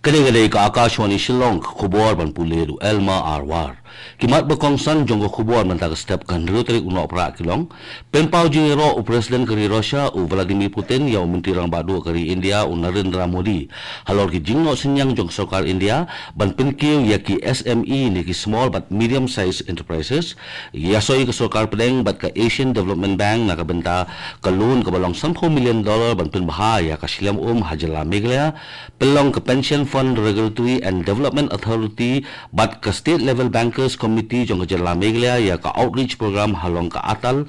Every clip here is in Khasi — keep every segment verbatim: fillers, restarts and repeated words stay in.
Kane ka dei ka Akashvani Shillong, ka khubor ban pule da u Elma Arwar. Ki mat ba kongsan jong ka khubor mynta ka step ka hynriew tarik u Nohprah ki long: Pynpaw jingïaroh u President ka ri Russia u Vladimir Putin ïa u Myntri Rangbah Duh ka ri India u Narendra Modi halor ki jingnoh synñiang jong ka sorkar India ban pynkiew ïa ki S M E ne ki small bad medium sized enterprises. Ïasoi ka sorkar pdeng bad ka Asian Development Bank na ka bynta ka loan kaba long sanphew million dollar ban pynbha ïa ka shlem um ha jylla Meghalaya. Pynlong ka Pension Fund Regulatory and Development Authority bad ka State Level Bankers Committee jong ka jylla Meghalaya ïa ka outreach program halor ka Atal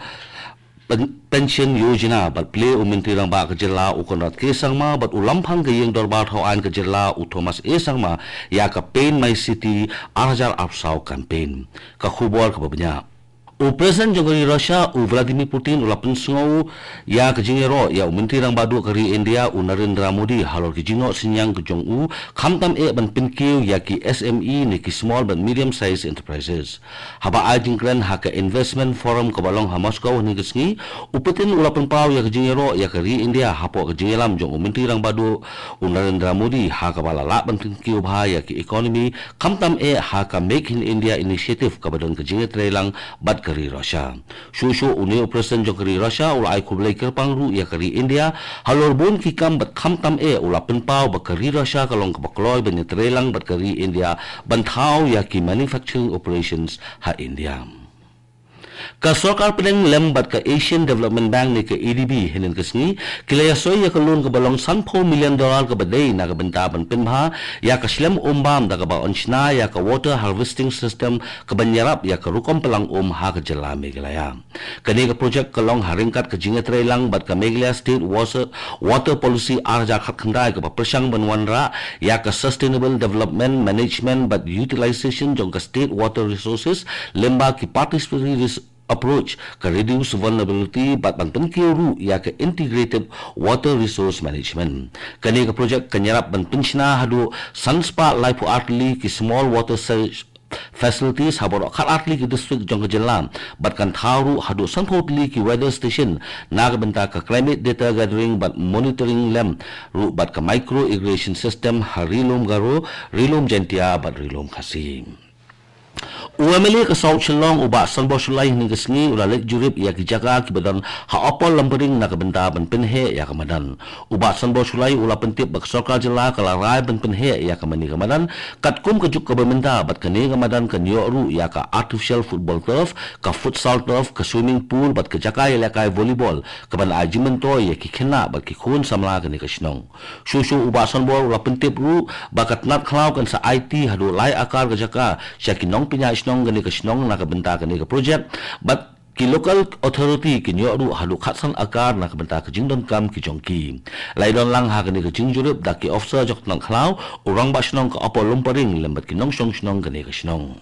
Pen-, Pension Yojana bad plie u Myntri Rangbah ka jylla u Conrad K Sangma bad u Lamphang ka Ïing Dorbar Thawaiñ ka jylla u Thomas A Sangma ïa ka Paint My City ar hajar arphew saw campaign. Ka khubor kaba bniah. U President jong ka ri Russia u Vladimir Putin u la pynsngew ïa ka jingïaroh ïa u Myntri Rangbah Duh ka ri India u Narendra Modi halor ki jingnoh synñiang ka jong u, khamtam eh ban pynkiew ïa ki S M E ne ki small bad medium sized enterprises. Haba ai jingkren ha ka Investment Forum kaba long ha Moscow hynne ka sngi, u Putin u la pynpaw ïa ka jingïaroh ïa ka ri India hapoh ka jingïalam jong u Myntri Rangbah Duh u Narendra Modi ha kaba la lah ban pynkiew bha ïa ki economy, khamtam eh ha ka Make in India Initiative kaba don ka jingïatreilang bad ka ri Russia. Shuh shuh une u President jong ka ri Russia u la ai khublei kyrpang ruh ïa ka ri India halor bun ki kam bad khamtam eh u la pynpaw ba ka ri Russia ka long kaba kloi ban ïatreilang bad ka ri India ban thaw ïa ki manufacturing operations ha India. Ka sorkar pdeng lem bad ka Asian Development Bank ne ka A D B hynne ka sngi ki la ïasoi ïa ka loan kaba long sanphew million dollar kaba dei na ka bynta ban pynbha ïa ka shlem um bam da kaba yn shna ïa ka water harvesting system kaban ïarap ïa ka rukom pynlang um ha ka jylla Meghalaya. Kane ka projek ka long ha ryngkat ka jingïatreilang bad ka Meghalaya State Water, Water Policy ar hajar khatkhyndai kaba pyrshang ban wanrah ïa ka sustainable development, management bad utilization jong ka state water resources lyngba ki participatory res-, approach, ka reduce vulnerability bad ban pynkiew ruh ïa ka integrated water resource management. Kane ka projek kan ïarap ban pynshna haduh san spah laiphew ar tylli ki small water se-, facilities ha baroh khat ar tylli ki district jong ka jylla bad kan thaw ruh haduh sanphew tylli ki weather station na ka bynta ka climate data gathering bad monitoring lem ruh bad ka micro irrigation system ha Ri Lum Garo, Ri Lum Jaintia bad Ri Lum Khasi. U M L A ka South Shillong u Bah Sanbor Shullai hynne ka sngi u la leit jurip ïa ki jaka kiba don ha Upper Lumparing na ka bynta ban pynheh ïa ka madan. U Bah Sanbor Shullai u la pyntip ba ka sorkar jylla ka la rai ban pynheh ïa ka mane ka madan katkum ka juk kaba mynta bad kane ka madan kan ïoh ruh ïa ka artificial football turf, ka futsal turf, ka swimming pool bad ka jaka ïalehkai volleyball kaban ai jingmyntoi ïa ki khynnah bad ki khun samla kane ka shnong. Shuh shuh u Bah Sanbor u la pyntip ruh ba ka tnat khlaw kan sa aiti haduh lai akar ka jaka sha ki nongpynïaid shnong kane ka shnong na ka bynta kane ka projek bad ki local authority kin ïoh ruh haduh khatsan akar na ka bynta ka jingdonkam ki jong ki. La ïadon lang ha kane ka jingjurip da ki officer jong ka tnat khlaw, u rangbah shnong ka Upper Lumparing lem bad ki nongshong shnong kane ka shnong.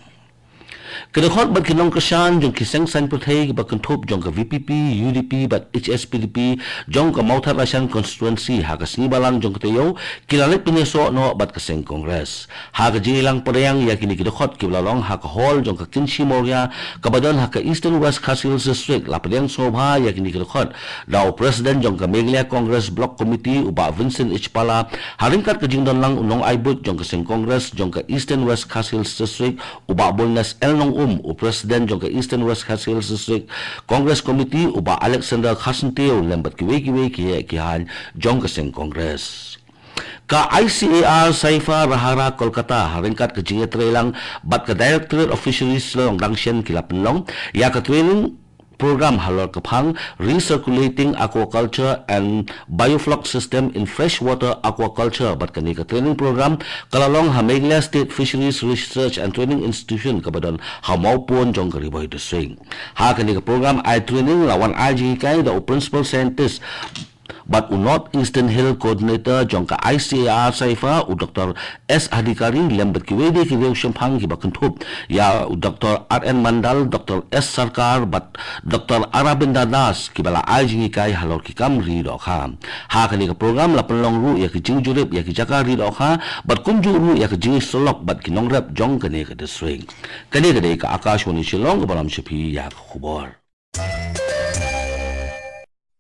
Ki dkhot bad ki nongkyrshan jong ki seng saiñ pyrthei kiba kynthup jong ka V P P, U D P bad H S P D P jong ka Mawthadraishan constituency ha ka sngi Balang jong ka taïew ki la leit pynïasoh noh bad ka seng Congress. Ha ka jingïalang pdiang ïa kine ki dkhot kiba la long ha ka hall jong ka Kynshi Mawria kaba don ha ka Eastern West Khasi Hills District, la pdiang sngewbha ïa kine ki dkhot da u President jong ka Meghalaya Congress Block Committee u Bah Vincent H Pala, ha ryngkat ka jingdon lang u nongai buit jong ka seng Congress jong ka Eastern West Khasi Hills District u Bah Boldness L Nongum, u President jong ka Eastern West Khasi Hills District Congress Committee u Bah Alexander Kharsyntiew lem bad kiwei kiwei ki heh ki haiñ jong ka seng Congress. Ka I C A R Saifia Rahara Kolkata ha ryngkat ka jingïatreilang bad ka Directorate of Fisheries Shillong dang shen ki la pynlong ïa ka training program halor ka phang Recirculating Aquaculture and Biofloc System in Freshwater Aquaculture bad kane ka training program ka la long ha Meghalaya State Fisheries Research and Training Institution kaba don ha Mawpun jong ka Ri Bhoi District. Ha kane ka program ai training la wan ai jinghikai da u Principal Scientist bad u North Eastern Hill Coordinator jong ka I C A R Saifia u Doctor S Adhikari lem bad kiwei de ki riewshemphang kiba kynthup ïa u Doctor R N Mandal, Doctor S Sarkar bad Doctor Arabinda Das kiba la ai jinghikai halor ki kam ri dohkha. Ha kane ka program la pynlong ruh ïa ki jingjurip ïa ki jaka ri dohkha bad kumjuh ruh ïa ki jingïasyllok bad ki nongrep jong kane ka district. Kane ka dei ka Akashvani Shillong kaba lam sha phi ïa ka khubor.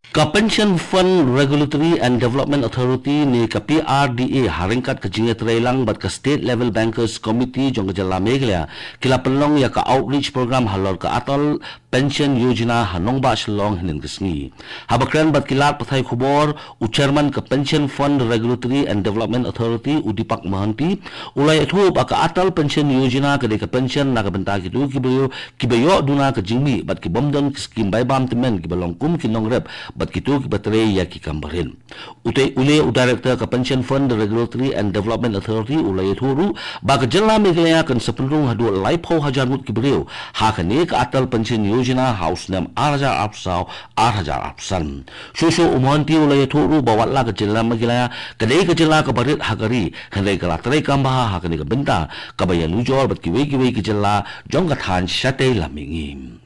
Ka Pension Fund Regulatory and Development Authority ne ka P R D A ha ryngkat ka jingïatreilang bad ka State Level Bankers Committee jong ka jylla Meghalaya ki la pynlong ïa ka outreach program halor ka Atal Pension Yojana ha nongbah Shillong hynnin ka sngi. Haba kren bad ki lad pathai khubor, u chairman ka Pension Fund Regulatory and Development Authority, u Deepak Mohanty, u la ïathuh ba ka Atal Pension Yojana ka dei ka pension na ka bynta kito ki briew kiba ïoh duna ka jingmih bad ki bym don ki skim bai bam tymmen kiba long kum ki nongrep bad kito kiba trei ïa ki kam barit. Utei u leh u director ka Pension Fund Regulatory and Development Authority u la ïathuh ruh ba ka jylla Meghalaya kan sa pynrung haduh laiphew hajar ngut ki briew ha kane ka Atal Pension Yojana ha u snem ar hajar arphew saw ar hajar arphew san. Shuh shuh u Mohanty u la ïathuh ruh ba wat la ka jylla Meghalaya ka dei ka jylla kaba rit ha ka ri, hynrei ka la trei kam bha ha kane ka bynta kaba ïanujor bad kiwei kiwei ki jylla jong ka thaiñ shatei lam mihngi.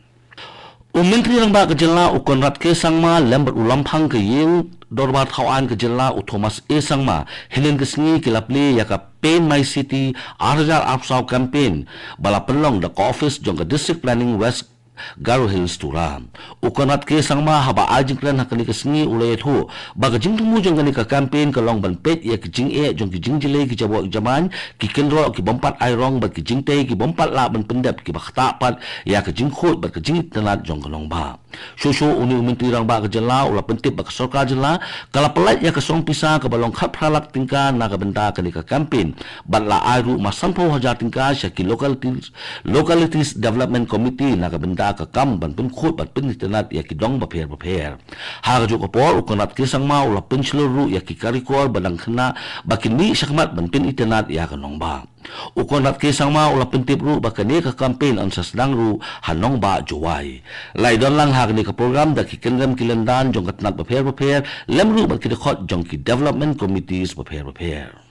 U Myntri Rangbah ka jylla u Conrad K Sangma lem bad u Lamphang ka ïing dorbar thaw aiñ ka jylla u Thomas A Sangma hynnin ka sngi ki la plie ïa ka Paint My City ar hajar arphew saw campaign ba la pynlong da ka office jong ka District Planning West Garo Hills Tura. U Conrad K Sangma haba ai jingkren ha kane ka sngi u la ïathuh ba ka jingthmu jong kane ka campaign ka long ban peit ïa ka jingeh jong ki jingjlei ki jaboh ki jamaiñ, ki kynroh ki bym pat ai rong bad ki jingtei ki bym pat lah ban pyndep kiba ktah pat ïa ka jingkhuid bad ka jingitynnad jong ka nongbah. Shuh shuh une u Myntri Rangbah ka jylla u la pyntip ba ka sorkar jylla ka la pyllait ïa ka song pisa kaba long khatphra lak tyngka na ka bynta kane ka campaign bad la ai ruh ma sanphew hajar tyngka sha ki localities, Localities Development Committee na ka bynta ka kam ban pynkhuid bad pynitynnad ïa ki dong bapher bapher. Ha kajuh ka por u Conrad K Sangma u la pynshlur ruh ïa ki karikor ba dang khynnah ba kin mih shakhmat ban pynitynnad ïa ka nongbah. U Conrad K Sangma u la pyntip ruh ba kane ka campaign yn sa sdang ruh ha nongbah Jowai. La ïadon lang ha kane ka program da ki kynrem ki lyndan jong ka tnat bapher bapher lem ruh bad ki dkhot jong ki development committees bapher bapher.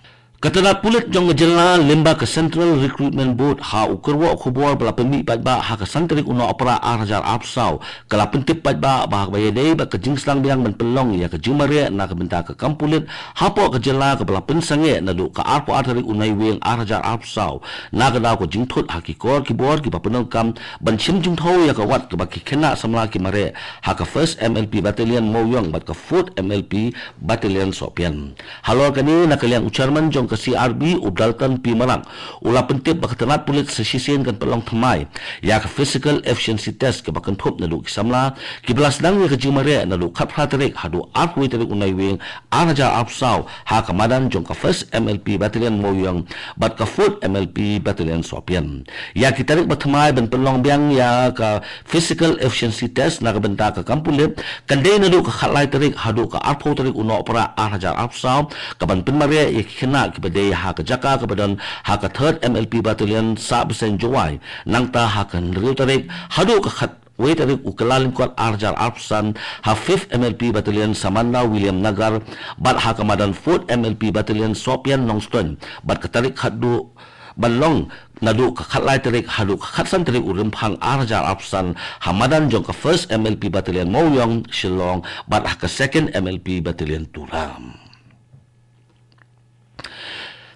Ka tnat pulit jong ka jylla lyngba ka Central Recruitment Board ha u kyrwoh khubor ba la pynmih paidbah ha ka san tarik u Nohprah ar hajar arphew saw ka la pyntip paidbah ba ha kaba ïadei bad ka jingsdang biang ban pynlong ïa ka jingmareh na ka bynta ka kam pulit hapoh ka jylla kaba la pynsangeh naduh ka arphew ar tarik u Naiwieng ar hajar arphew saw na ka daw ka jingthut ha ki kor ki bor kiba pyndonkam ban shim jingthew ïa ka wat kaba ki khynnah samla ki mareh ha ka First M L P Battalion Mawïong bad ka Fourth M L P Battalion Sohpian. Halor kane na ka liang u chairman jong ka C R B u Dalton P Marak u la pyntip ba ka tnat pulit sa shisien kan pynlong thymmai ïa ka physical efficiency test kaba kynthup naduh ki samla kiba la sdang ïa ka jingmareh naduh khatphra tarik haduh arphew tarik u Naiwieng ar hajar arphew saw ha ka madan jong ka First M L P Battalion Mawïong bad ka Fourth M L P Battalion Sohpian. Ïa ki tarik ba thymmai ban pynlong biang ïa ka physical efficiency test na ka bynta ka kam pulit kan dei naduh ka khatlai tarik haduh ka arphew tarik u Nohprah ar hajar arphew saw kaban pynmareh ïa ki khynnah kiba dei ha ka jaka kaba don ha ka Third M L P Battalion Sahbseiñ Jowai, nangta ha ka hynriew tarik haduh ka khat wei tarik u Kyllalyngkot ar hajar arphew san ha Fifth M L P Battalion Samanda William Nagar bad ha ka madan Fourth M L P Battalion Sohpian Nongstoiñ bad ka tarik khatduh ban long naduh ka khatlai tarik haduh ka khatsan tarik u Rymphang ar hajar arphew san ha madan jong ka First M L P Battalion Mawïong Shillong bad ha ka Second M L P Battalion Tura.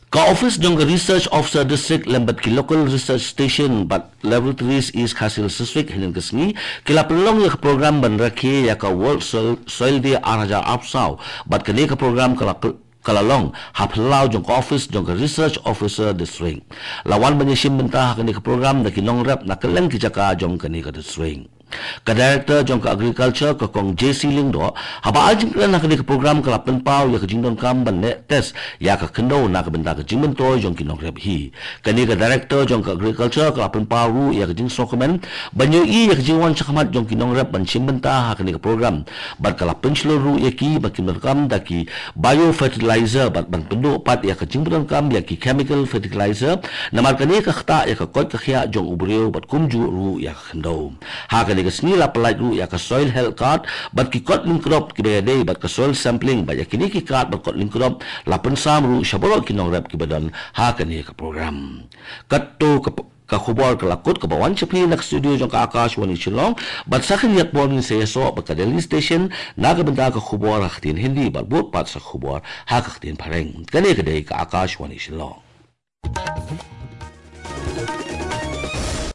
Ka office jong ka Research Officer District lem bad ki local research station bad laboratories East Khasi Hills District hynnin ka sngi ki la pynlong ïa ka program ban rakhe ïa ka World Soil, Soil Day ar hajar arphew saw bad kane ka program ka la py-, ka la long ha phyllaw jong ka office jong ka Research Officer District. La wan ban ïashim bynta ha kane ka program da ki nongrep na kylleng ki jaka jong kane ka district. Ka Director jong ka Agriculture ka Kong J C Lyngdoh haba ai jingkren ha kane ka program ka la pynpaw ïa ka jingdonkam ban leh test ïa ka khyndew na ka bynta ka jingmyntoi jong ki nongrep hi. Kane ka Director jong ka Agriculture ka la pynpaw ruh ïa ka jingsngewkmen ban ïohi ïa ka jingwan shakhmat jong ki nongrep ban shim bynta ha kane ka program bad ka la pynshlur ruh ïa ki ba kin donkam da ki biofertilizer bad ban pynduh pat ïa ka jingpyndonkam ïa ki chemical fertilizer namar kane ka ktah ïa ka koit ka khiah jong u briew bad kumjuh ruh ïa ka khyndew. Ha kane ka sngi la pyllait ruh ïa ka Soil Health Card bad ki kot lyngkdop kiba ïadei bad ka soil sampling bad ïa kine ki card bad kot lyngkdop la pynsam ruh sha baroh ki nongrep kiba don ha kane ka program. Katto ka p-, ka khubor ka la kut kaba wan sha phi na ka studio jong ka Akashvani Shillong bad sa khyndiat por ngin sa ïasoh bad ka Delhi Station na ka bynta ka khubor ha ka ktien Hindi bad bud pat sa khubor ha ka ktien Phareng. Kane ka dei ka Akashvani Shillong.